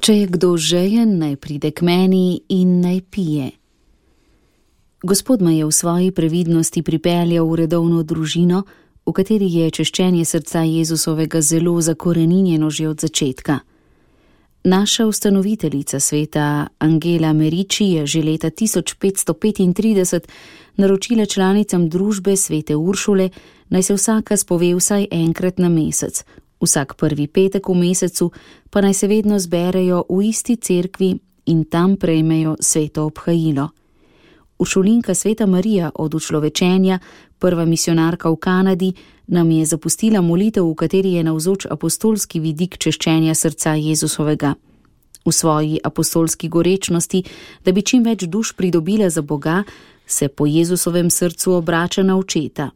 Če je kdo žejen, naj pride k meni in naj pije. Gospod me je v svoji previdnosti pripeljal v redovno družino, v kateri je češčenje srca Jezusovega zelo zakoreninjeno že od začetka. Naša ustanoviteljica sveta Angela Merici je že leta 1535 naročila članicam družbe svete Uršule, naj se vsaka spove vsaj enkrat na mesec, vsak prvi petek v mesecu pa naj se vedno zberejo v isti cerkvi in tam prejmejo sveto obhajilo. Uršulinka sveta Marija od učlovečenja, prva misionarka v Kanadi, nam je zapustila molitev, v kateri je navzoč apostolski vidik češčenja srca Jezusovega. V svoji apostolski gorečnosti, da bi čim več duš pridobila za Boga, se po Jezusovem srcu obrača na očeta.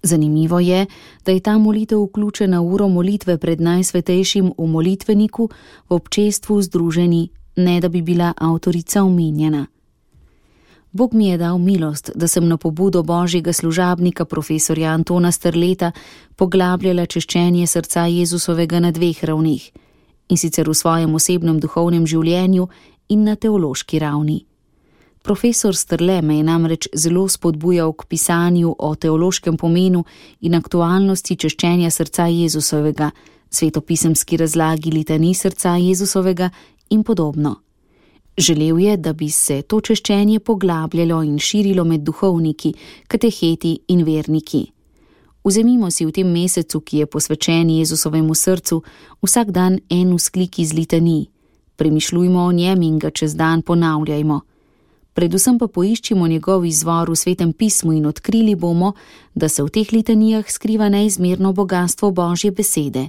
Zanimivo je, da je ta molitev vključena v uro molitve pred Najsvetejšim v molitveniku v občestvu združeni, ne da bi bila avtorica omenjena. Bog mi je dal milost, da sem na pobudo božjega služabnika profesorja Antona Strleta poglabljala češčenje srca Jezusovega na dveh ravnih, in sicer v svojem osebnem duhovnem življenju in na teološki ravni. Profesor Strle me je namreč zelo spodbujal k pisanju o teološkem pomenu in aktualnosti češčenja srca Jezusovega, svetopisemski razlagi litanij srca Jezusovega in podobno. Želel je, da bi se to češčenje poglabljalo in širilo med duhovniki, kateheti in verniki. Vzemimo si v tem mesecu, ki je posvečen Jezusovemu srcu, vsak dan en vzklik iz litanij. Premišljujmo o njem in ga čez dan ponavljajmo. Predvsem pa poiščimo njegov izvor v Svetem pismu in odkrili bomo, da se v teh litanijah skriva neizmerno bogastvo Božje besede.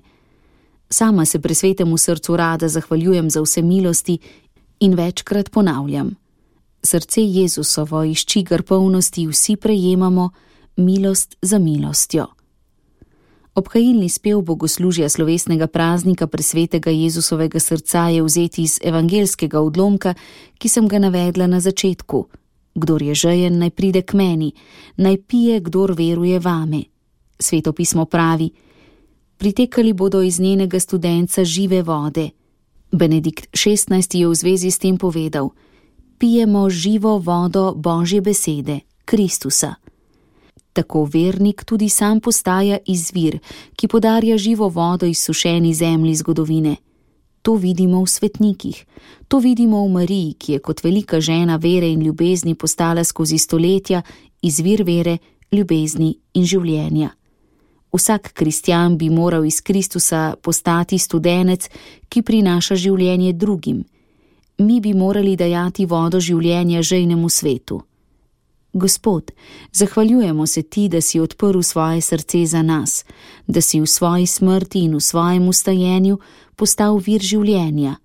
Sama se pri Svetemu srcu rada zahvaljujem za vse milosti in večkrat ponavljam. Srce Jezusovo, iz čigar polnosti vsi prejemamo, milost za milostjo. Obhajilni spev bogoslužja slovesnega praznika presvetega Jezusovega srca je vzeti iz evangelskega odlomka, ki sem ga navedla na začetku. Kdor je žejen, naj pride k meni, naj pije, kdor veruje vame. Sveto pismo pravi: pritekali bodo iz njenega studenca žive vode. Benedikt XVI je v zvezi s tem povedal: pijemo živo vodo Božje besede, Kristusa. Tako vernik tudi sam postaja izvir, ki podarja živo vodo izsušeni zemlji zgodovine. To vidimo v svetnikih, to vidimo v Mariji, ki je kot velika žena vere in ljubezni postala skozi stoletja izvir vere, ljubezni in življenja. Vsak kristjan bi moral iz Kristusa postati studenec, ki prinaša življenje drugim. Mi bi morali dajati vodo življenja žejnemu svetu. Gospod, zahvaljujemo se ti, da si odprl svoje srce za nas, da si v svoji smrti in v svojem ustajenju postal vir življenja.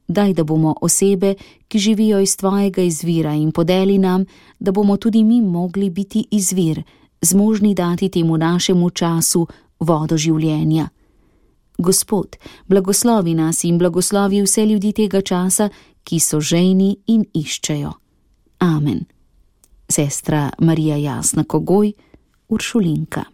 Daj, da bomo osebe, ki živijo iz tvojega izvira, in podeli nam, da bomo tudi mi mogli biti izvir, zmožni dati temu našemu času vodo življenja. Gospod, blagoslovi nas in blagoslovi vse ljudi tega časa, ki so žejni in iščejo. Amen. Sestra Marija Jasna Kogoj, Uršulinka.